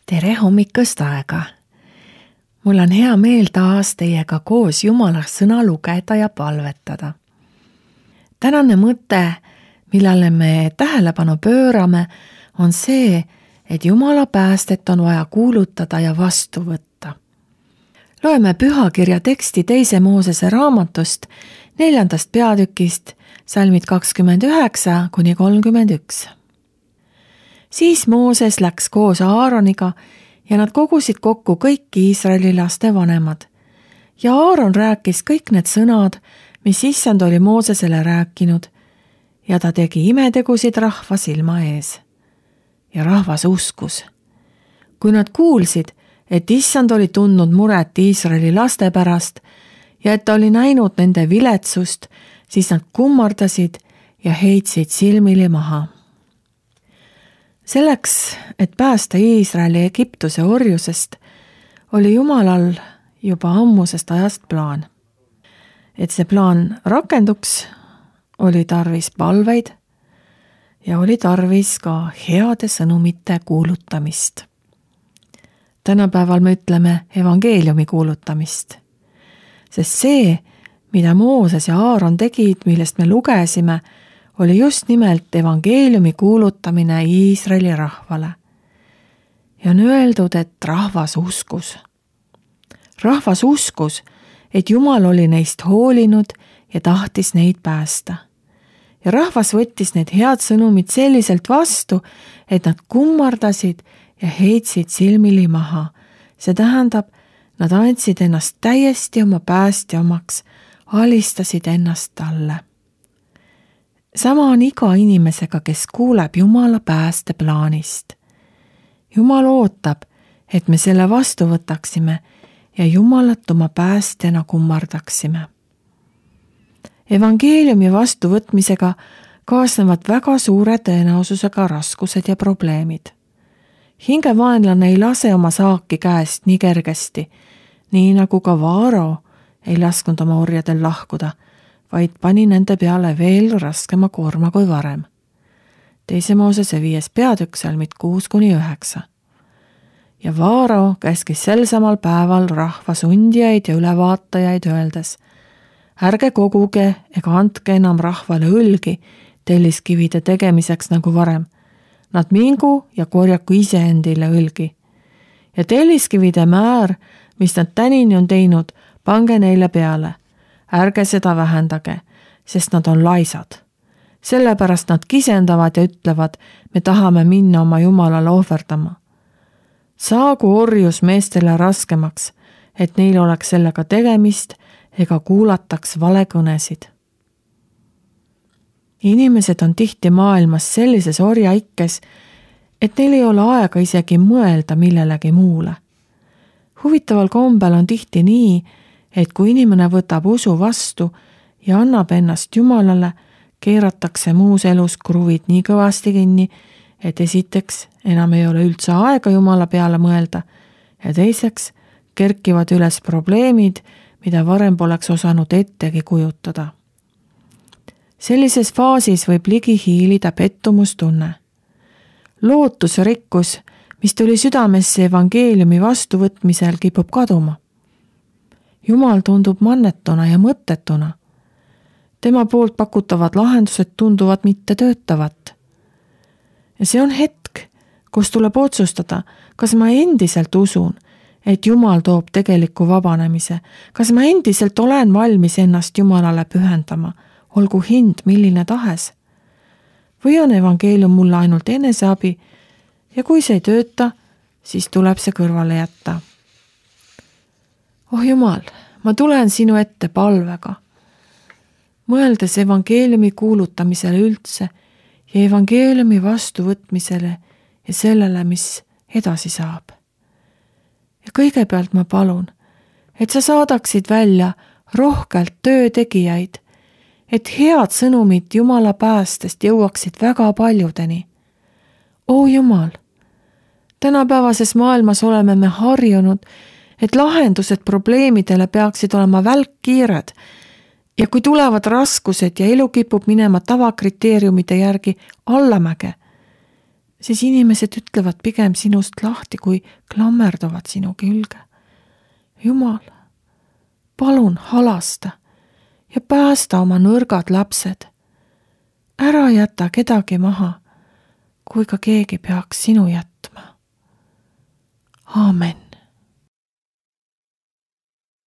Tere hommikust aega! Mul on hea meel taas teiega koos Jumala sõna lugeda ja palvetada. Tänane mõte, millele me tähelepanu pöörame, on see, et Jumala päästet on vaja kuulutada ja vastu võtta. Loeme pühakirja teksti 2. Moosese raamatust 4. peatükist, salmid 29–31. Siis Mooses läks koos Aaroniga ja nad kogusid kokku kõik Iisraeli laste vanemad. Ja Aaron rääkis kõik need sõnad, mis Issand oli Moosesele rääkinud, ja ta tegi imetegusid rahva silma ees. Ja rahvas uskus. Kui nad kuulsid, et Issand oli tundnud muret Iisraeli laste pärast ja et ta oli näinud nende viletsust, siis nad kummardasid ja heitsid silmili maha. Selleks, et päästa Iisraeli Egiptuse orjusest, oli Jumalal juba ammusest ajast plaan. Et see plaan rakenduks, oli tarvis palveid ja oli tarvis ka heade sõnumite kuulutamist. Tänapäeval me ütleme evangeeliumi kuulutamist, sest see, mida Mooses ja Aaron tegid, millest me lugesime, oli just nimelt evangeeliumi kuulutamine Iisraeli rahvale. Ja on öeldud, et rahvas uskus. Rahvas uskus, et Jumal oli neist hoolinud ja tahtis neid päästa. Ja rahvas võttis need head sõnumid selliselt vastu, et nad kummardasid ja heitsid silmili maha. See tähendab, nad andsid ennast täiesti oma päästja omaks, alistasid ennast talle. Sama on iga inimesega, kes kuuleb Jumala päästeplaanist. Jumal ootab, et me selle vastu võtaksime ja Jumalat oma päästjana kummardaksime. Evangeeliumi vastuvõtmisega kaasnevad väga suure tõenäosusega raskused ja probleemid. Hingevaenlane ei lase oma saaki käest nii kergesti, nii nagu ka Vaaro ei lasknud oma orjadel lahkuda, vaid pani nende peale veel raskema koorma kui varem. 2. Moosese 5. peatükk, salmid 6–9. Ja Vaaro käskis sel samal päeval rahva sundijaid ja ülevaatajaid öeldes: ärge koguge ega andke enam rahvale õlgi telliskivide tegemiseks nagu varem. Nad mingu ja korjaku iseendile õlgi. Ja telliskivide määr, mis nad tänini on teinud, pange neile peale. Ärge seda vähendage, sest nad on laisad. Sellepärast nad kisendavad ja ütlevad, me tahame minna oma Jumalale ohverdama. Saagu orjus meestele raskemaks, et neil oleks sellega tegemist ega kuulataks valekõnesid. Inimesed on tihti maailmas sellises orjaikkes, et neil ei ole aega isegi mõelda millelegi muule. Huvitaval kombel on tihti nii, et kui inimene võtab usu vastu ja annab ennast Jumalale, keeratakse muus elus kruvid nii kõvasti kinni, et esiteks enam ei ole üldse aega Jumala peale mõelda ja teiseks kerkivad üles probleemid, mida varem poleks osanud ettegi kujutada. Sellises faasis võib ligi hiilida pettumustunne. Lootusrikkus, mis tuli südamesse evangeeliumi vastuvõtmisel, kipub kaduma. Jumal tundub mannetuna ja mõttetuna. Tema poolt pakutavad lahendused tunduvad mitte töötavat. Ja see on hetk, kus tuleb otsustada, kas ma endiselt usun, et Jumal toob tegeliku vabanemise, kas ma endiselt olen valmis ennast Jumalale pühendama, olgu hind milline tahes. Või on evangeelium mulle ainult eneseabi ja kui see ei tööta, siis tuleb see kõrvale jätta. Oh Jumal, ma tulen sinu ette palvega, mõeldes evangeeliumi kuulutamisele üldse ja evangeeliumi vastuvõtmisele ja sellele, mis edasi saab. Ja kõigepealt ma palun, et sa saadaksid välja rohkelt töötegijaid, et head sõnumid Jumala päästest jõuaksid väga paljudeni. O Jumal, tänapäevases maailmas oleme me harjunud, et lahendused probleemidele peaksid olema välkkiired ja kui tulevad raskused ja elu kipub minema tavakriteeriumide järgi allamäge, siis inimesed ütlevad pigem sinust lahti, kui klammerduvad sinu külge. Jumal, palun halasta ja päästa oma nõrgad lapsed. Ära jäta kedagi maha, kui ka keegi peaks sinu jätma. Aamen.